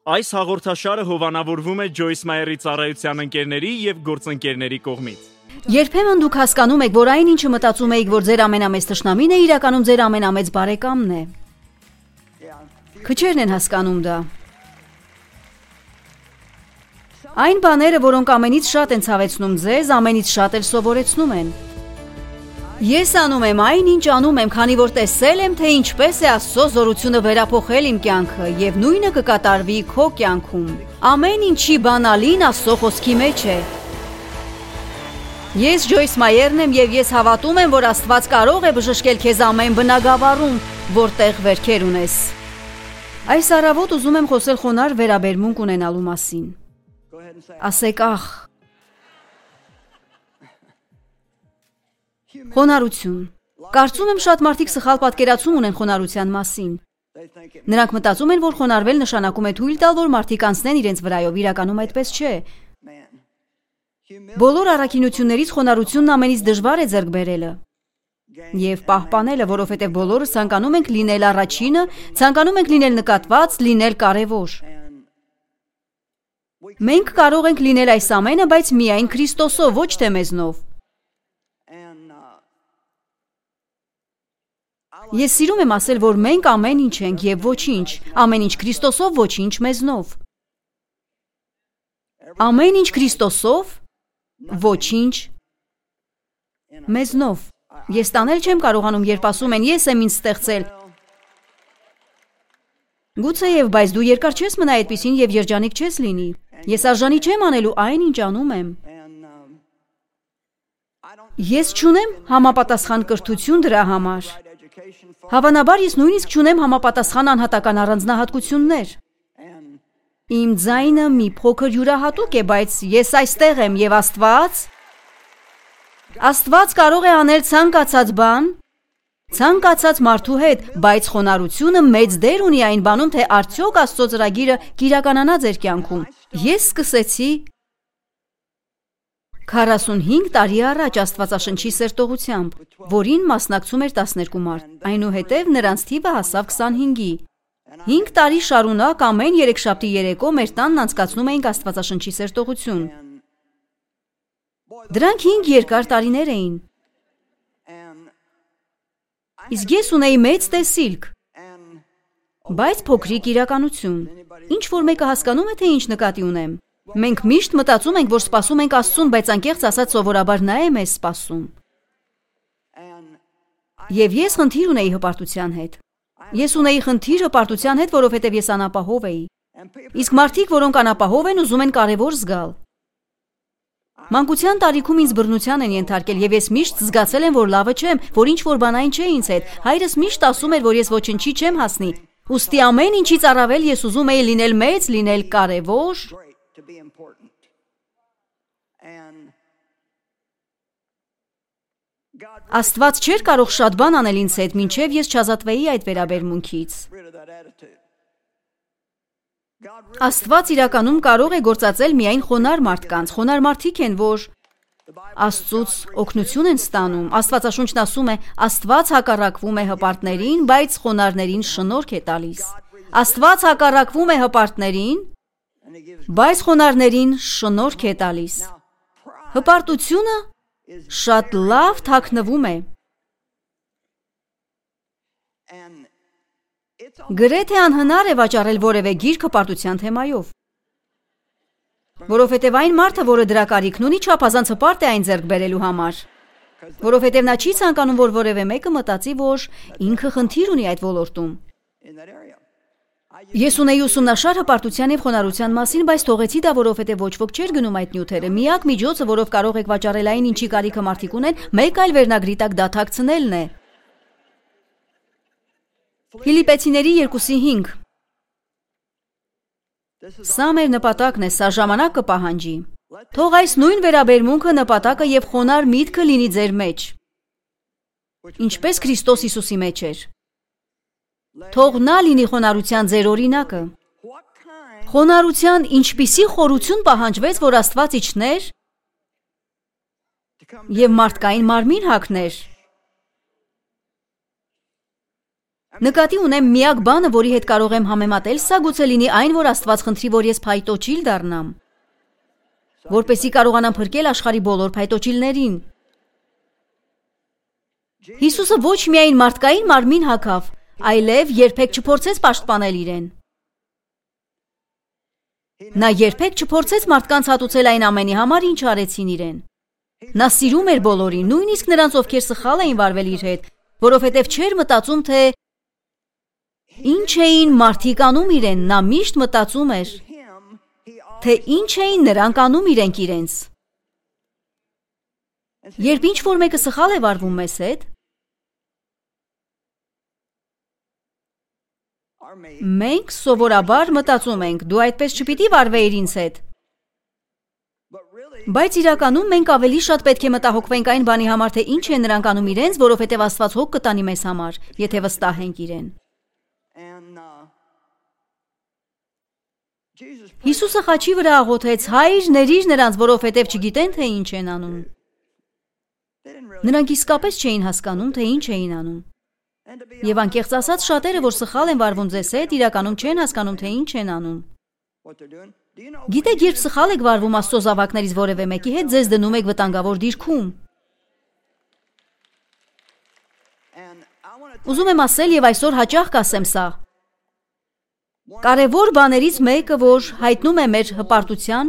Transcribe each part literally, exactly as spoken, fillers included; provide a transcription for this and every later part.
Այս հաղորդաշարը հովանավորվում է Ջոյս Մայերի ծառայության ընկերների եւ գործընկերների կողմից։ Երբեմն դուք հասկանում եք, որ այն ինչը մտածում եք, որ ձեր ամենամեծ թշնամին է, իրականում ձեր ամենամեծ բարեկամն է։ Քչերն են հասկանում դա։ Այն բաները, որոնք ամենից շատ են ցավեցնում ձեզ, ամենից շատ էլ սովորեցնում են։ Ես անում եմ այն, ինչ անում եմ, քանի որ տեսել եմ, թե ինչպես է Աստծո զորությունը վերափոխել իմ կյանքը, եւ նույնը կկատարվի քո կյանքում։ Ամեն ինչի բանալին Աստծո խոսքի մեջ է։ Ես Ջոյս Մայերն եմ եւ ես հավատում եմ, որ Աստված կարող է բժշկել քեզ ամեն բնագավառում, որտեղ վերքեր ունես։ Այս առավոտ ուզում եմ խոսել խոնար վերաբերմունք ունենալու մասին։ Ասեք ախ։ Խոնարհություն։ Կարծում եմ շատ մարդիկ սխալ պատկերացում ունեն խոնարհության մասին։ Նրանք մտածում են, որ խոնարհվել նշանակում է թույլ տալ, որ մարդիկ անցնեն իրենց վրայով, իրականում այդպես չէ։ Բոլոր առաքինություններից խոնարհությունն ամենից դժվար է ձեռք բերելը եւ պահպանելը, որովհետեւ բոլորս ցանկանում ենք լինել առաջինը, ցանկանում ենք լինել նկատված, լինել կարեւոր։ Մենք կարող ենք լինել այս ամենը, բայց միայն Քրիստոսով, ոչ թե մեզնով։ Ես սիրում եմ ասել, որ մենք ամեն ինչ ենք եւ ոչինչ, ամեն ինչ Քրիստոսով, ոչինչ մեզնով։ Ամեն ինչ Քրիստոսով, ոչինչ մեզնով։ Ես տանել չեմ կարողանում, երբ ասում են ես եմ ինձ ստեղծել։ Գուցեև, բայց դու երկար չես մնա այդպիսին եւ երջանիկ չես լինի։ Ես արժանի չեմ անելու այն, ինչ անում եմ։ Ես չունեմ համապատասխան կրթություն դրա համար։ Հավանաբար ես նույնիսկ չունեմ համապատասխան անհատական առանձնահատկություններ։ Իմ ձայնը մի փոքր յուրահատուկ է, բայց ես այստեղ եմ եւ Աստված Աստված կարող է անել ցանկացած բան, ցանկացած մարդու հետ, բայց խոնարհությունը մեծ դեր ունի այն բանում, թե արդյոք Աստծո ծրագիրը կիրականանա ձեր կյանքում։ Ես սկսեցի քառասունհինգ տարի առաջ Աստվածաշնչի սերտողությամբ, որին մասնակցում էր տասներկու մարդ, այնուհետև նրանց թիվը հասավ քսանհինգի։ Հինգ տարի շարունակ ամեն երեքշաբթի երեկո մեր տանն անցկացնում էինք Աստվածաշնչի սերտողություն։ Դրանք հինգ երկար տարիներ էին։ Իսկ ես ունեի մեծ տեսիլք, բայց փոքրիկ իրականություն։ Ինչ որ մեկը հասկանում է, թե ինչ նկատի ունեմ։ Մենք միշտ մտածում ենք, որ սպասում ենք Աստծուն, բայց անկեղծ ասած սովորաբար նա է մեզ սպասում։ Եվ ես խնդիր ունեի հպարտության հետ։ Ես ունեի խնդիր հպարտության հետ, որովհետև ես անապահով էի։ Իսկ մարդիկ, որոնք անապահով են, ուզում են կարևոր զգալ։ Մանկության տարիքում ինձ բռնության են ենթարկել եւ ես միշտ զգացել եմ, որ լավը չեմ, որ ինչ որ բան այն չէ ինձ հետ։ Հայրս միշտ ասում էր, որ ես ոչնչի չեմ հասնի։ Ուստի ամեն ինչից առավել ես ուզում էի լինել մեծ, լինել կարևոր։ Աստված չէր կարող շատ բան անել ինձ հետ, մինչև ես չազատվեի այդ վերաբերմունքից։ Աստված իրականում կարող է գործածել միայն խոնարհ մարդկանց։ Խոնարհ մարդիկ են, որ Աստծուց օգնություն են ստանում։ Աստվածաշունչն ասում է. Աստված հակառակվում է հպարտներին, բայց խոնարհներին շնորհք է տալիս։ Աստված հակառակվում է հպարտներին, բայց խոնարհներին շնորհք է տալիս։ Հպարտությունը շատ լավ թաքնվում է։ Գրեթե անհնար է վաճառել որևէ գիրք հպարտության թեմայով։ Որովհետև այն մարդը, որը դրա կարիքն ունի, չափազանց հպարտ է այն ձեռք բերելու համար։ Որովհետև նա չի ցանկանում, որ որևէ մեկը մտածի, որ ինքը խնդիր ունի այդ ոլորտում։ Ես ունեի ուսումնաշար հպարտության եւ խոնարհության մասին, բայց թողեցի դա, որովհետև ոչ ոք չէր գնում այդ նյութերը։ Միակ միջոցը, որով կարող եք վաճառել այն, ինչի կարիքը մարդիկ ունեն, մեկ այլ վերնագրի տակ դաթակցնելն է։ Ֆիլիպեցիների երկուսի հինգ։ Սա մեր նպատակն է, սա ժամանակ կպահանջի։ Թող այս նույն վերաբերմունքը, նպատակը եւ խոնարհ միտքը լինի ձեր մեջ, ինչպես Քրիստոս Հիսուսի մեջ էր։ Թող նա լինի խոնարհության ձեր օրինակը։ Խոնարհության ինչպիսի խորություն պահանջվեց, որ Աստված իջներ եւ մարդկային մարմին հագներ։ Նկատի ունեմ միակ բանը, որի հետ կարող եմ համեմատել, սա գուցե լինի այն, որ Աստված խնդրի, որ ես փայտոջիլ դառնամ, որպեսզի կարողանամ փրկել աշխարհի բոլոր փայտոջիլներին։ Հիսուսը ոչ միայն մարդկային մարմին հագավ, այլև երբեք չփորձեց պաշտպանել իրեն։ Նա երբեք չփորձեց մարդկանց հատուցել այն ամենի համար, ինչ արեցին իրեն։ Նա սիրում էր բոլորին, նույնիսկ նրանց, ովքեր սխալ էին վարվել իր հետ, որովհետև չէր մտածում, թե ինչ էին մարդիկ անում իրեն, նա միշտ մտածում էր, թե ինչ էին նրանք անում իրենք իրենց։ Երբ ինչ-որ մեկը սխալ է վարվում մեզ հետ, մենք սովորաբար մտածում ենք, դու այդպես չպիտի վարվեիր ինձ հետ։ Բայց իրականում մենք ավելի շատ պետք է մտահոգվենք այն բանի համար, թե ինչ են նրանք անում իրենց, որովհետև Աստված հոգ կտանի մեզ համար, եթե վստահ ենք իրեն։ Հիսուսը խաչի վրա աղոթեց. «Հայր, ներիր նրանց, որովհետև չգիտեն, թե ինչ են անում»։ Նրանք իսկապես չէին հասկանում, թե ինչ էին անում։ Եվ անկեղծ ասած, շատերը, որ սխալ են վարվում ձեզ հետ, իրականում չեն հասկանում, թե ինչ են անում։ Գիտեք, երբ սխալ եք վարվում Աստծո զավակներից որևէ մեկի հետ, ձեզ դնում եք վտանգավոր դիրքում։ Ուզում եմ ասել եւ այսօր հաճախ կասեմ սա. կարևոր բաներից մեկը, որ հայտնում է մեր հպարտության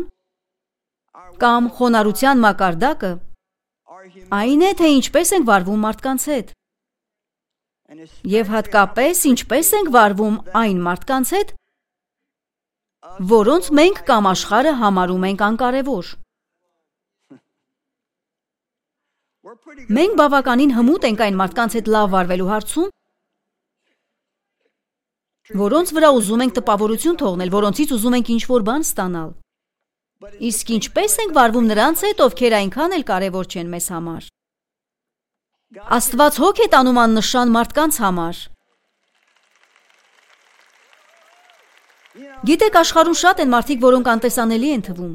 կամ խոնարհության մակարդակը, այն է, թե ինչպես ենք վարվում մարդկանց հետ։ Եվ հատկապես ինչպես ենք վարվում այն մարդկանց հետ, որոնց մենք կամ աշխարհը համարում ենք անկարևոր։ Մենք բավականին հմուտ ենք այն մարդկանց հետ լավ վարվելու հարցում, որոնց վրա ուզում ենք տպավորություն թողնել, որոնցից ուզում ենք ինչ-որ բան ստանալ։ Իսկ ինչպես ենք վարվում նրանց հետ, ովքեր այնքան էլ կարևոր չեն մեզ համար։ Աստված հոգ է տանում աննշան մարդկանց համար։ Գիտեք, աշխարհում շատ են մարդիկ, որոնք անտեսանելի են թվում։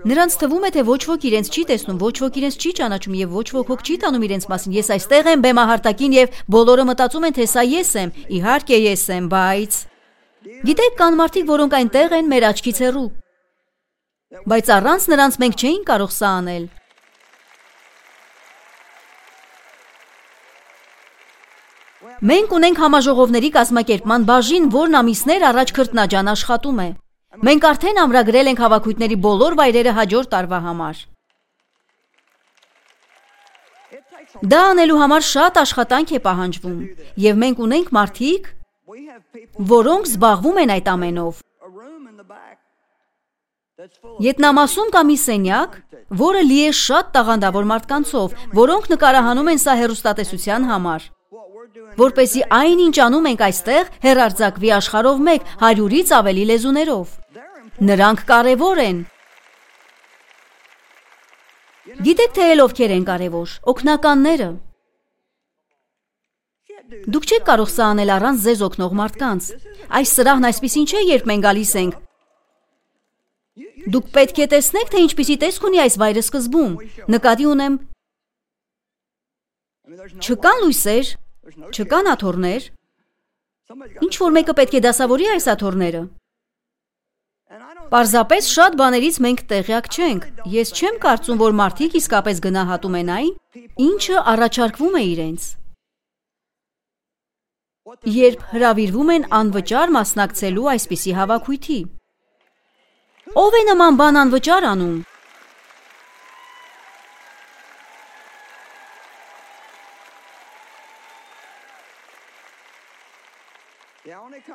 Նրանց թվում է, թե ոչ ոք իրենց չի տեսնում, ոչ ոք իրենց չի ճանաչում եւ ոչ ոք հոգ չի տանում իրենց մասին։ Ես այստեղ եմ բեմահարտակին եւ բոլորը մտածում են, թե սա ես եմ։ Իհարկե ես եմ, բայց գիտեք, կան մարդիկ, որոնք այնտեղ են մեր աչքից հեռու։ Բայց առանց նրանց մենք չէինք կարող սա անել։ Մենք ունենք համաժողովների կազմակերպման բաժին, որն ամիսներ առաջ քրտնաջան աշխատում է։ Մենք արդեն ամրագրել ենք հավաքույթների բոլոր վայրերը հաջորդ տարվա համար։ Դա անելու համար շատ աշխատանք է պահանջվում, եւ մենք ունենք մարդիկ, որոնք զբաղվում են այդ ամենով։ Ետնամասում կա մի սենյակ, որը լի է շատ տաղանդավոր մարդկանցով, որոնք նկարահանում են սա հեռուստատեսության համար, որպեսզի այն, ինչ անում ենք այստեղ, հեռարձակվի աշխարհով մեկ հարյուրից ավելի լեզուներով։ Նրանք կարևոր են։ Գիտեք, թե էլ ովքեր են կարևոր, օգնականները։ Դուք չեք կարող սա անել առանց ձեզ օգնող մարդկանց։ Այս սրահն այսպիսին չէ, երբ մենք գալիս ենք։ Դուք պետք է տեսնեք, թե ինչպիսի տեսք ունի այս վայրը սկզբում։ Նկատի ունեմ, չկան լույսեր, չկան աթոռներ։ Ինչ որ մեկը պետք է դասավորի այս աթոռները։ Պարզապես շատ բաներից մենք տեղյակ չենք։ Ես չեմ կարծում, որ մարդիկ իսկապես գնահատում են այն, ինչը առաջարկվում է իրենց, երբ հրավիրվում են անվճար մասնակցելու այսպիսի հավաքույթի։ Ով է նման բան անվճար անում։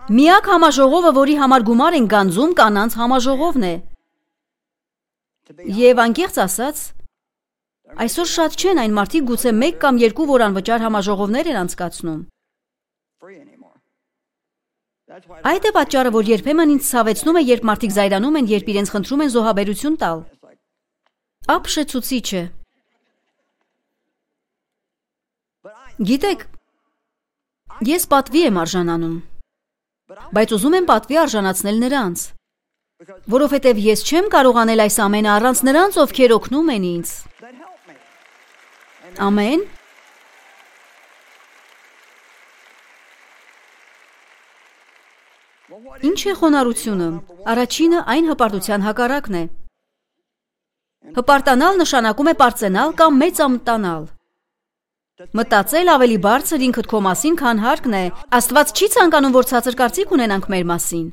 Միակ համաժողովը, որի համար գումար են գանձում, կանանց համաժողովն է։ Եվ անկեղծ ասած, այսօր շատ չեն այն մարդիկ, գուցե մեկ կամ երկու, որ անվճար համաժողովներ են անցկացնում։ Այդ է պատճառը, որ երբեմն ինձ ցավեցնում է, երբ մարդիկ զայրանում են, երբ իրենց խնդրում են զոհաբերություն տալ։ Ապշեցուցիչ է։ Գիտեք, ես պատվի եմ արժանանում, բայց ուզում եմ պատվի արժանացնել նրանց, որովհետև ես չեմ կարող անել այս ամենը առանց նրանց, ովքեր օգնում են ինձ։ Ամեն։ Ինչ է խոնարհությունը։ Առաջինը այն հպարտության հակառակն է։ Հպարտանալ նշանակում է պարծենալ կամ մեծամտանալ։ Մտածել ավելի բարձր ինքդ քո մասին, քան հարկն է։ Աստված չի ցանկանում, որ ցածր կարծիք ունենանք մեր մասին։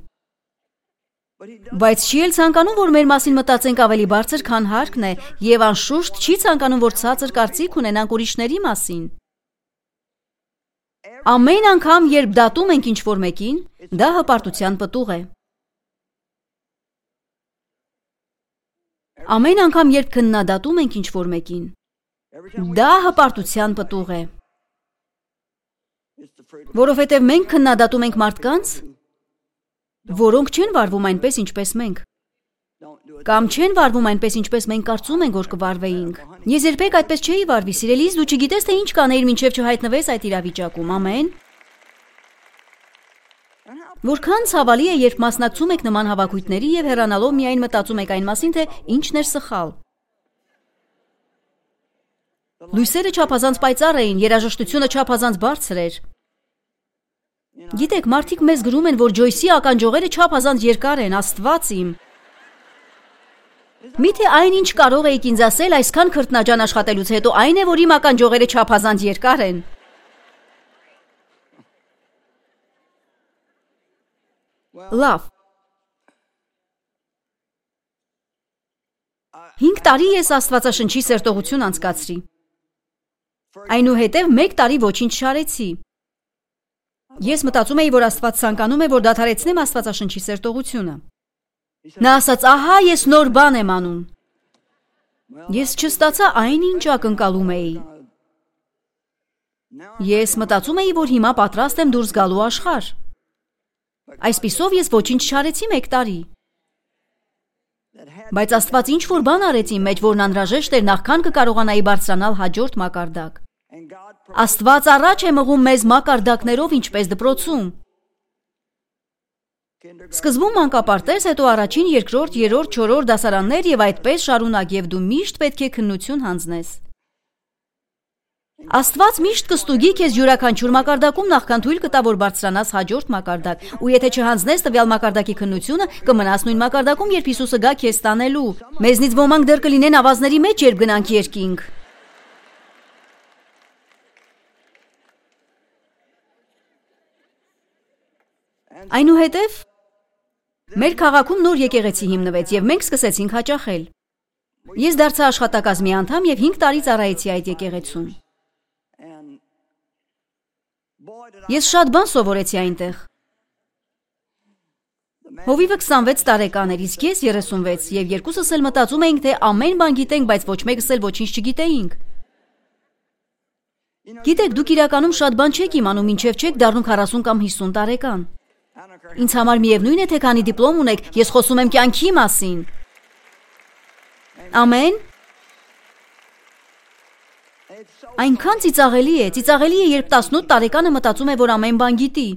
Բայց չի էլ ցանկանում, որ մեր մասին մտածենք ավելի բարձր, քան հարկն է, եւ անշուշտ չի ցանկանում, որ ցածր կարծիք ունենանք ուրիշների մասին։ Ամեն անգամ, երբ դատում ենք ինչ-որ մեկին, դա հպարտության պտուղ է։ Ամեն անգամ, երբ քննադատում ենք ինչ-որ մեկին, դա հպարտության պտուղ է։ Որովհետև մենք քննադատում ենք մարդկանց, որոնք չեն վարվում այնպես, ինչպես մենք, կամ չեն վարվում այնպես, ինչպես մենք կարծում ենք, որ կվարվեինք։ Ես երբեք այդպես չէի վարվի, սիրելիս, դու չգիտես, թե ինչ կանեիր, մինչև չհայտնվես այդ իրավիճակում, ամեն։ Որքան ցավալի է, երբ մասնակցում եք նման հավաքույթների եւ հեռանալով միայն մտածում եք այն մասին, թե ինչն էր սխալ։ Լույսերը չափազանց պայծառ էին, երաժշտությունը չափազանց բարձր էր։ Գիտեք, մարդիկ մեզ գրում են, որ Ջոյսի ականջողերը չափազանց երկար են, Աստված իմ։ Միթե այն ինչ կարող էիք ինձ ասել այսքան քրտնաջան աշխատելուց հետո, այն է, որ իմ ականջողերը չափազանց երկար են։ Լավ։ Հինգ տարի ես Աստվածաշնչի սերտողություն անցկացրի։ Այնուհետև մեկ տարի ոչինչ չարեցի։ Ես մտածում էի, որ Աստված ցանկանում է, որ դադարեցնեմ Աստվածաշնչի սերտողությունը։ Նա ասաց, ահա ես նոր բան եմ անում։ Ես չստացա այն, ինչ ակնկալում էի։ Ես մտածում էի, որ հիմա պատրաստ եմ դուրս գալու աշխարհ։ Այսպիսով ես ոչինչ չարեցի մեկ տարի։ Բայց Աստված ինչ-որ բան արեց իմ մեջ, որն անհրաժեշտ էր, նախքան կկարողանայի բարձրանալ հաջորդ մակարդակ։ Աստված առաջ է մղում մեզ մակարդակներով, ինչպես դպրոցում։ Սկզբում մանկապարտեզ, հետո առաջին, երկրորդ, երրորդ, չորրորդ դասարաններ եւ այդպես շարունակ, եւ դու միշտ պետք է քննություն հանձնես։ Աստված միշտ կստուգի քեզ յուրաքանչյուր մակարդակում, նախքան թույլ կտա, որ բարձրանաս հաջորդ մակարդակ, ու եթե չհանձնես տվյալ մակարդակի քննությունը, կմնաս նույն մակարդակում, երբ Հիսուսը գա քեզ տանելու։ Մեզնից ոմանք դեռ կլինեն ավազների մեջ, երբ գնանք երկինք։ Այնուհետև մեր քաղաքում նոր եկեղեցի հիմնվեց եւ մենք սկսեցինք հաճախել։ Ես դարձա աշխատակազմի անդամ եւ հինգ տարի ծառայեցի այդ եկեղեցում։ Ես շատ բան սովորեցի այնտեղ։ Հովիվը քսանվեց տարեկան էր, իսկ ես երեսունվեց, եւ երկուսս էլ մտածում էինք, թե ամեն բան գիտենք, բայց ոչ մեկս էլ ոչինչ չգիտեինք։ Գիտեք, դուք իրականում շատ բան չեք իմանում, մինչև չեք դառնում քառասուն կամ հիսուն տարեկան։ Ինձ համար միևնույն է, թե քանի դիպլոմ ունեք, ես խոսում եմ կյանքի մասին։ Ամեն։ Այնքան ծիծաղելի է, ծիծաղելի է, երբ տասնութ տարեկանը մտածում է, որ ամեն բան գիտի։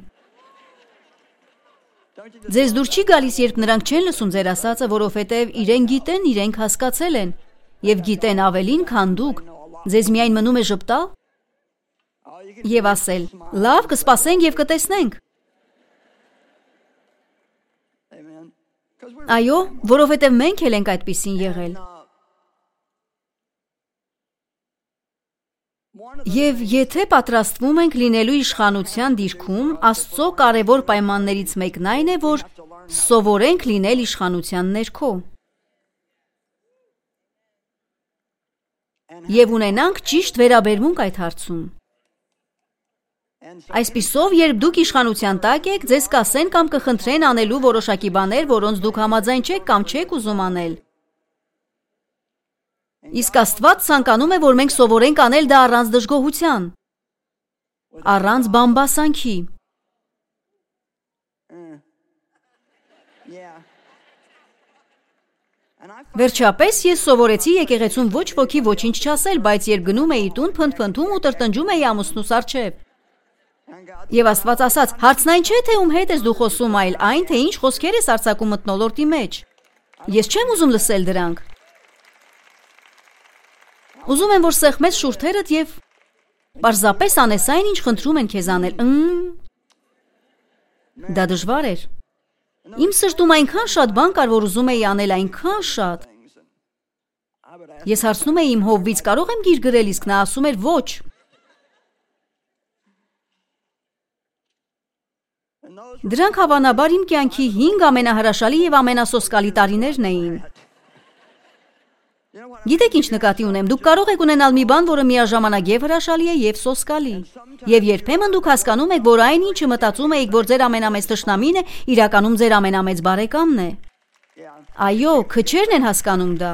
Ձեզ դուր չի գալիս, երբ նրանք չեն լսում ձեր ասածը, որովհետև իրենք գիտեն, իրենք հասկացել են, եւ գիտեն ավելին, քան դուք։ Ձեզ միայն մնում է ժպտալ եւ ասել. լավ, կսպասենք եւ կտեսնենք։ Այո, որովհետև մենք էլ ենք այդպիսին եղել։ Եվ եթե պատրաստվում ենք լինելու իշխանության դիրքում, Աստծո կարևոր պայմաններից մեկն այն է, որ սովորենք լինել իշխանության ներքո։ Եվ ունենանք ճիշտ վերաբերմունք այդ հարցում։ Այսպիսով, երբ դուք իշխանության տակ եք, ձեզ կասեն կամ կխնդրեն անելու որոշակի բաներ, որոնց դուք համաձայն չեք կամ չեք ուզում անել։ Իսկ Աստված ցանկանում է, որ մենք սովորենք անել դա առանց դժգոհության, առանց բամբասանքի։ Վերջապես ես սովորեցի եկեղեցում ոչ ոքի ոչինչ չասել, բայց երբ գնում էի տուն, փնթփնթում ու տրտնջում էի ամուսնուս առջև։ Եվ Աստված ասաց. հարցն այն չէ, թե ում հետ ես դու խոսում, այլ այն, թե ինչ խոսքեր ես արձակում մթնոլորտի մեջ։ Ես չեմ ուզում լսել դրանք։ Ուզում եմ, որ սեղմես շուրթերդ եւ պարզապես անես այն, ինչ խնդրում են քեզ անել։ Դա դժվար էր։ Իմ սրտում այնքան շատ բան կար, որ ուզում էի անել, այնքան շատ։ Ես հարցնում էի իմ հովվից, կարող եմ գիր գրել, իսկ նա ասում էր ոչ։ Դրանք հավանաբար իմ կյանքի հինգ ամենահրաշալի եւ ամենասոսկալի տարիներն էին։ Գիտեք ինչ նկատի ունեմ, դուք կարող եք ունենալ մի բան, որը միաժամանակ եւ հրաշալի է եւ սոսկալի։ Եվ երբեմն դուք հասկանում եք, որ այն ինչը մտածում եք, որ ձեր ամենամեծ թշնամին է, իրականում ձեր ամենամեծ բարեկամն է։ Այո, քչերն են հասկանում դա։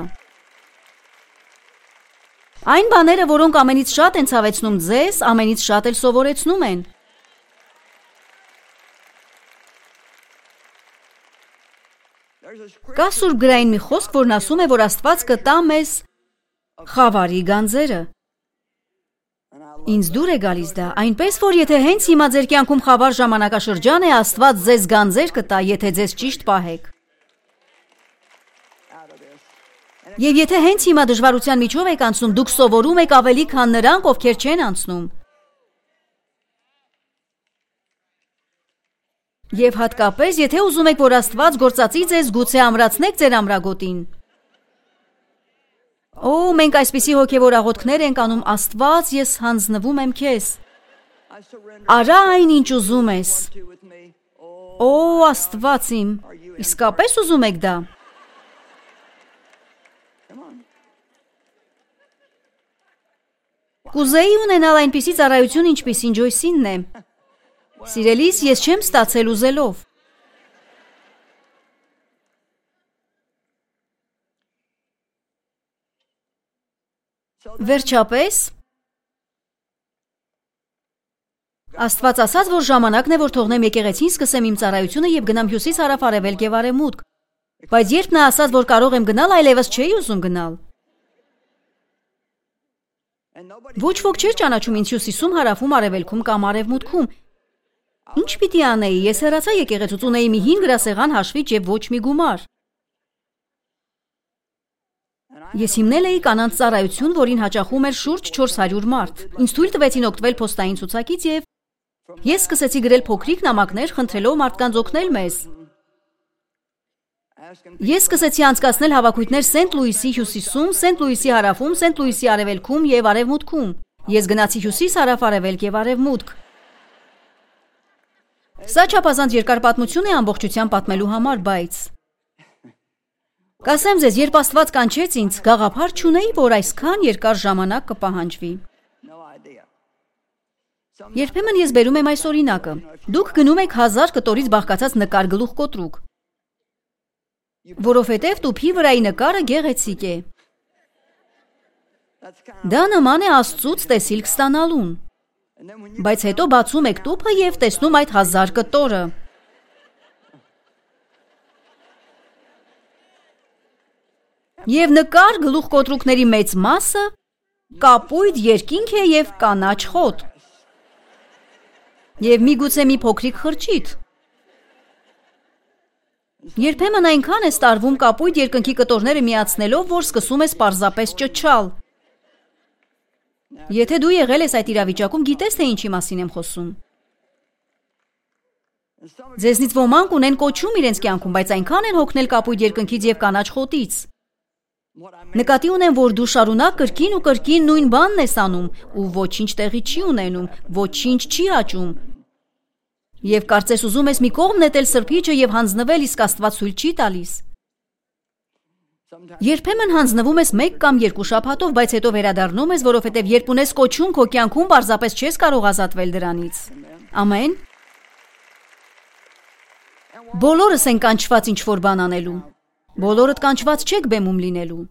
Այն բաները, որոնք ամենից շատ են ցավեցնում ձեզ, ամենից շատ էլ սովորեցնում են։ Կա սուրբ գրային մի խոսք, որն ասում է, որ Աստված կտա մեզ խավարի գանձերը։ Ինձ դուր է գալիս դա, այնպես որ եթե հենց հիմա ձեր կյանքում խավար ժամանակաշրջան է, Աստված ձեզ գանձեր կտա, եթե ձեզ ճիշտ պահեք։ Եվ եթե հենց հիմա դժվարության միջով եք անցնում, դուք սովորում եք ավելի, քան նրանք, ովքեր չեն անցնում։ Եվ հատկապես, եթե ուզում եք, որ Աստված գործածի ձեզ, գուցե ամրացնեք ձեր ամրագոտին։ Օ, մենք այսպիսի հոգևոր աղոթքներ ենք անում, Աստված, ես հանձնվում եմ քեզ։ Արա այն, ինչ ուզում ես։ Օ, Աստված իմ, իսկապես ուզում եք դա։ Կուզեի ունենալ այնպիսի ծառայություն, ինչպիսին Ջոյսինն է։ Սիրելիս, ես չեմ ստացել ուզելով։ Վերջապես, Աստված ասաց, որ ժամանակն է, որ թողնեմ եկեղեցին, սկսեմ իմ ծառայությունը եւ գնամ հյուսիս, հարավ, արևելք եւ արևմուտք։ Բայց երբ նա ասաց, որ կարող եմ գնալ, այլևս չէի ուզում գնալ։ Ոչ ոք չէր ճանաչում ինձ հյուսիսում, հարավում, արևելքում կամ արևմուտքում։ Ինչ պիտի անեի, ես հեռացա եկեղեցուց, ունեի մի հին գրասեղան հաշվիչ եւ ոչ մի գումար։ Ես հիմնել էի կանանց ծառայություն, որին հաճախում էր շուրջ չորս հարյուր մարդ։ Ինձ թույլ տվեցին օգտվել փոստային ցուցակից եւ ես սկսեցի գրել փոքրիկ նամակներ, խնդրելով մարդկանց օգնել մեզ։ Ես սկսեցի անցկացնել հավաքույթներ Սենթ Լուիսի հյուսիսում, Սենթ Լուիսի հարավում, Սենթ Լուիսի արևելքում եւ արևմուտքում։ Ես գնացի հյուսիս, հարավ, արևելք եւ արևմուտք։ Սա չափազանց երկար պատմություն է ամբողջությամբ պատմելու համար, բայց կասեմ ձեզ, երբ Աստված կանչեց ինձ, գաղափար չունեի, որ այսքան երկար ժամանակ կպահանջվի։ Երբեմն ես բերում եմ այս օրինակը։ Դուք գնում եք հազար կտորից բաղկացած նկար գլուխ կոտրուկ, որովհետև տուփի վրայի նկարը գեղեցիկ է։ Դա նման է Աստծուց տեսիլք ստանալուն։ Բայց հետո բացում եք տուփը եւ տեսնում այդ հազար կտորը։ Եվ նկար գլուխ կոտրուկների մեծ մասը կապույտ երկինք է եւ կանաչ խոտ։ Եվ միգուցե մի փոքրիկ խրճիթ։ Երբեմն այնքան է ստարվում կապույտ երկնքի կտորները միացնելով, որ սկսում ես պարզապես ճչալ։ Եթե դու եղել ես այդ իրավիճակում, գիտես թե ինչի մասին եմ խոսում։ Ձեզնից ոմանք ունեն կոչում իրենց կյանքում, բայց այնքան են հոգնել կապույտ երկնքից եւ կանաչ խոտից։ Նկատի ունեմ, որ դու շարունակ կրկին ու կրկին նույն բանն ես անում ու ոչինչ տեղի չի ունենում, ոչինչ չի աճում։ Եվ կարծես ուզում ես մի կողմ նետել սրբիչը եւ հանձնվել, իսկ Աստված ցույց չի տալիս։ Երբեմն հանձնվում ես մեկ կամ երկու շաբաթով, բայց հետո վերադառնում ես, որովհետև երբ ունես կոչում, քո կյանքում պարզապես չես կարող ազատվել դրանից։ Ամեն։ Բոլորս են կանչված ինչ-որ բան անելու։ Բոլորդ կանչված չեք բեմում լինելու։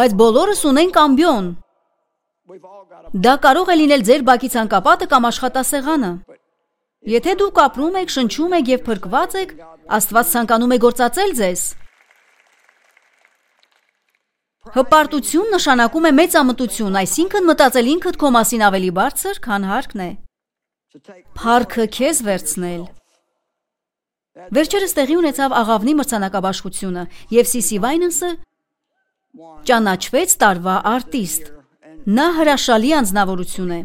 Բայց բոլորս ունենք ամբիոն։ Դա կարող է լինել ձեր բակի ցանկապատը կամ աշխատասեղանը։ Եթե դուք ապրում եք, շնչում եք եւ փրկված եք, Աստված ցանկանում է գործածել ձեզ։ Հպարտություն նշանակում է մեծամտություն, այսինքն մտածել ինքդ քո մասին ավելի բարձր, քան հարկն է։ Փառքը քեզ վերցնել։ Վերջերս տեղի ունեցավ աղավնի մրցանակաբաշխությունը, եւ Սիսի Վայնենսը ճանաչվեց տարվա արտիստ։ Նա հրաշալի անձնավորություն է։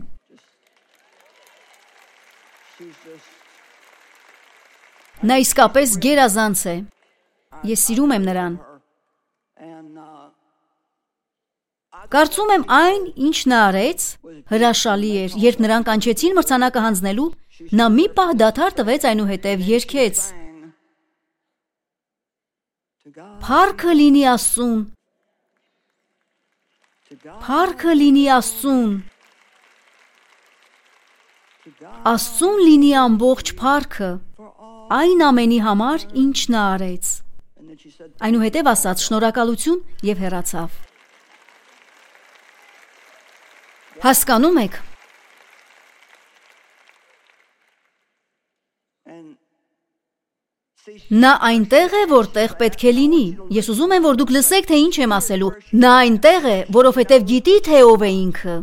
Նա իսկապես գերազանց է։ Ես սիրում եմ նրան։ Կարծում եմ այն, ինչ նա արեց, հրաշալի էր, երբ նրան կանչեցին մրցանակը հանձնելու, նա մի պահ դադար տվեց, այնուհետև երգեց. Փառքը լինի Աստծուն, փառքը լինի Աստծուն, Աստծուն լինի ամբողջ փառքը, այն ամենի համար, ինչ նա արեց։ Այնուհետև ասաց շնորհակալություն և հեռացավ։ Հասկանում եք։ Նա այնտեղ է, որտեղ պետք է լինի։ Ես ուզում եմ, որ դուք լսեք, թե ինչ եմ ասելու։ Նա այնտեղ է, որովհետև գիտի, թե ով է ինքը։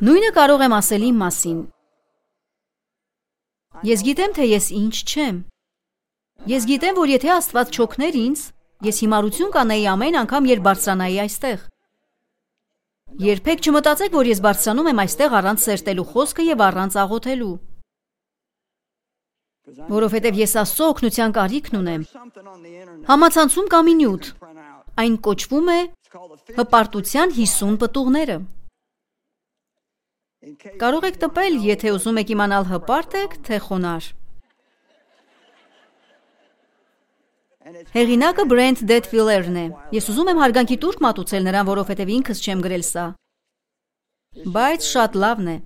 Նույնը կարող եմ ասել իմ մասին։ Ես գիտեմ, թե ես ինչ չեմ։ Ես գիտեմ, որ եթե Աստված չօգներ ինձ, ես հիմարություն կանեի ամեն անգամ, երբ բարձրանայի այստեղ։ Երբեք չմտածեք, որ ես բարձրանում եմ այստեղ առանց սերտելու խոսքը և առանց աղոթելու։ Որովհետև ես Աստծո օգնության կարիքն ունեմ։ Համացանցում կա մի նյութ։ Այն կոչվում է հպարտության հիսուն պտուղները։ Կարող եք տպել, եթե ուզում եք իմանալ հպարտ եք, թե խոնար։ Հեղինակը Բրենթ Դեթվիլերն է։ Ես ուզում եմ հարգանքի տուրք մատուցել նրան, որովհետև ինքս չեմ գրել սա։ Բայց շատ լավն է։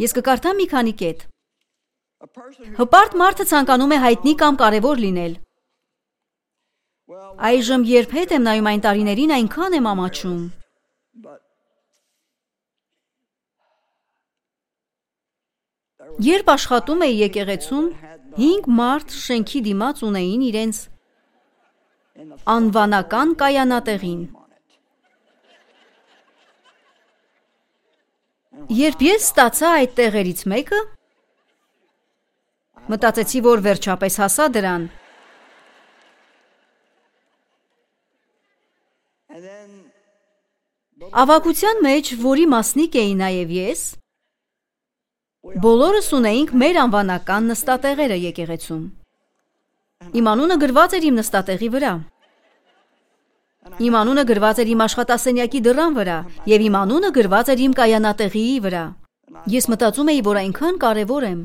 Ես կկարդամ մի քանի կետ։ Հպարտ մարդը ցանկանում է հայտնի կամ կարևոր լինել։ Այժմ երբ հետ եմ նայում այն տարիներին, այնքան եմ ամաչում։ Երբ աշխատում էի եկեղեցում, հինգ մարդ շենքի դիմաց ունեին իրենց անվանական կայանատեղին։ Երբ ես ստացա այդ տեղերից մեկը, մտածեցի, որ վերջապես հասա դրան։ Ավագության մեջ, որի մասնիկ էի նաև ես, բոլորս ունեինք մեր անվանական նստատեղերը եկեղեցում։ Իմ անունը գրված էր իմ նստատեղի վրա։ Իմ անունը գրված էր իմ աշխատասենյակի դռան վրա, և իմ անունը գրված էր իմ կայանատեղիի վրա։ Ես մտածում էի, որ այնքան կարևոր եմ։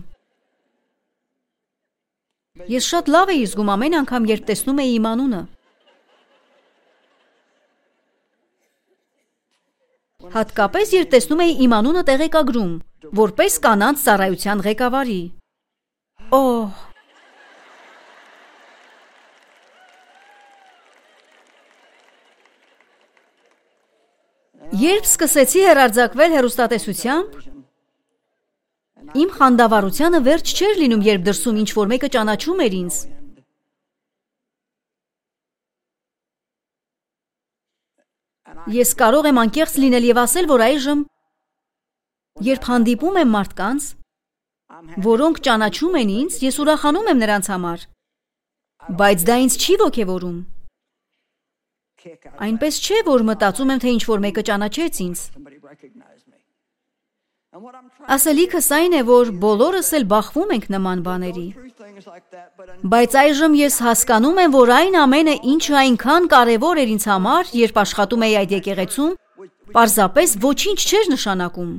Ես շատ լավ էի զգում ամեն անգամ, երբ տեսնում էի իմ անունը։ Հատկապես, երբ տեսնում էի իմ անունը տեղեկագրում, որպես կանանց ծառայության ղեկավարի։ Օհ։ Երբ սկսեցի հեռարձակվել հեռուստատեսությամբ, իմ խանդավառությանը վերջ չէր լինում, երբ դրսում ինչ-որ մեկը ճանաչում էր ինձ։ Ես կարող եմ անկեղծ լինել և ասել, որ այժմ, երբ հանդիպում եմ մարդկանց, որոնք ճանաչում են ինձ, ես ուրախանում եմ նրանց համար, բայց դա ինձ չի ոգևորում։ Այնպես չէ, որ մտածում եմ, թե ինչ-որ մեկը ճանաչեց ինձ։ Ասելիքս այն է, որ բոլորս էլ բախվում ենք նման բաների։ Բայց այժմ ես հասկանում եմ, որ այն ամենը, ինչը այնքան կարևոր էր ինձ համար, երբ աշխատում էի այդ եկեղեցում, պարզապես ոչինչ չէր նշանակում։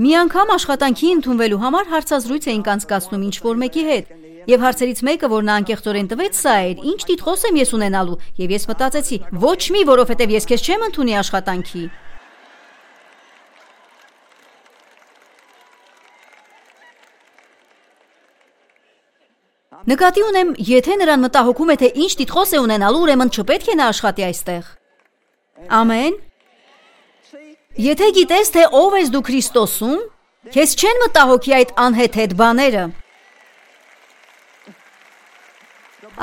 Մի անգամ աշխատանքի ընդունվելու համար հարցազրույց էինք անցկացնում ինչ-որ մեկի հետ, և հարցերից մեկը, որ նա անկեղծորեն տվեց, սա էր. ինչ տիտղոս եմ ես ունենալու, և ես մտածեցի, ոչ մի, որովհետև ես քեզ չեմ ընդունի աշխատանքի։ Նկատի ունեմ, եթե նրան մտահոգում է, թե ինչ տիտղոս է ունենալու, ուրեմն չպետք է նա աշխատի այստեղ։ Ամեն։ Եթե գիտես, թե ով ես դու Քրիստոսում, քեզ չեն մտահոգի այդ անհեթեթ բաները։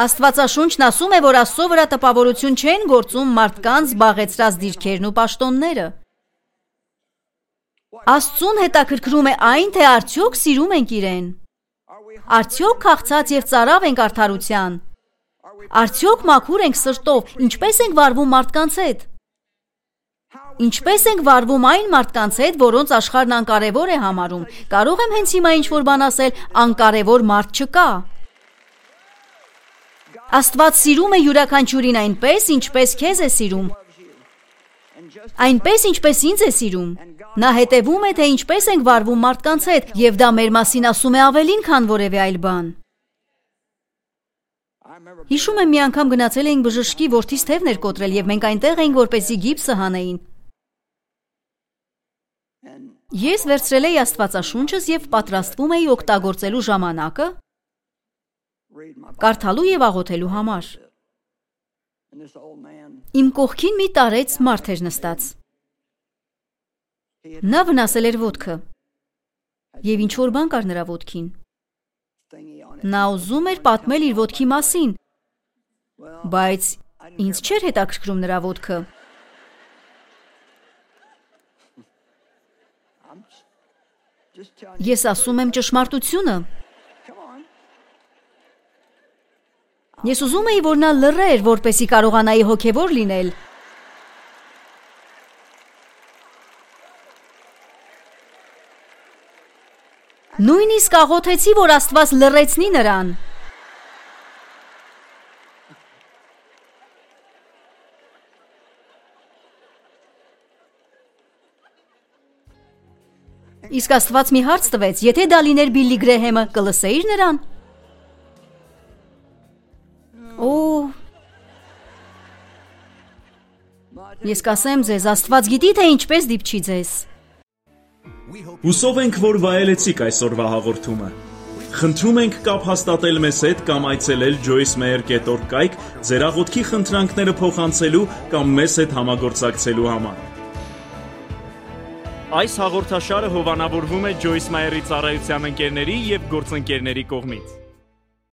Աստվածաշունչն ասում է, որ Աստծո վրա տպավորություն չեն գործում մարդկանց զբաղեցրած դիրքերն ու պաշտոնները։ Աստծուն հետաքրքրում է այն, թե արդյոք սիրում ենք իրեն։ Արդյոք քաղցած և ծարավ ենք արդարության։ Արդյոք մաքուր ենք սրտով, ինչպես ենք վարվում մարդկանց հետ։ Ինչպես ենք վարվում այն մարդկանց հետ, որոնց աշխարհն անկարևոր է համարում։ Կարող եմ հենց հիմա ինչ-որ բան ասել, անկարևոր մարդ չկա։ Աստված սիրում է յուրաքանչյուրին այնպես, ինչպես քեզ է սիրում։ Այնպես, ինչպես ինձ է սիրում։ Նա հետևում է, թե ինչպես ենք վարվում մարդկանց հետ, եւ դա մեր մասին ասում է ավելին, քան որևէ այլ բան։ Հիշում եմ, մի անգամ գնացել էինք բժշկի, որդիս թևն էր կոտրել, եւ մենք այնտեղ էինք, որպեսզի գիպսը հանեին։ Ես վերցրել էի Աստվածաշունչս եւ պատրաստվում էի օգտագործելու ժամանակը կարդալու եւ աղոթելու համար։ Իմ կողքին մի տարեց մարդ էր նստած։ Նա վնասել էր ոտքը եւ ինչ որ բան կար նրա ոտքին։ Նա ուզում էր պատմել իր ոտքի մասին, բայց ինձ չէր հետաքրքրում նրա ոտքը։ Ես ասում եմ ճշմարտությունը։ Ես ուզում էի, որ նա լռեր, որպեսզի կարողանայի հոգևոր լինել։ Նույնիսկ աղոթեցի, որ Աստված լռեցնի նրան։ Իսկ Աստված մի հարց տվեց, եթե դա լիներ Բիլլի Գրեհեմը, կլսեիր նրան։ Օ, ես կասեմ ձեզ, Աստված գիտի, թե ինչպես դիպչի ձեզ։ Հուսով ենք, որ վայելեցիք այսօրվա հաղորդումը։ Խնդրում ենք կապ հաստատել մեզ հետ կամ այցելել joyce meyer dot org կայք ձեր աղոթքի խնդրանքները փոխանցելու կամ մեզ հետ համագործակցելու համար։ Այս հաղորդաշարը հովանավորվում է Joyce Meyer-ի ծառայության ընկերների եւ գործընկերների կողմից։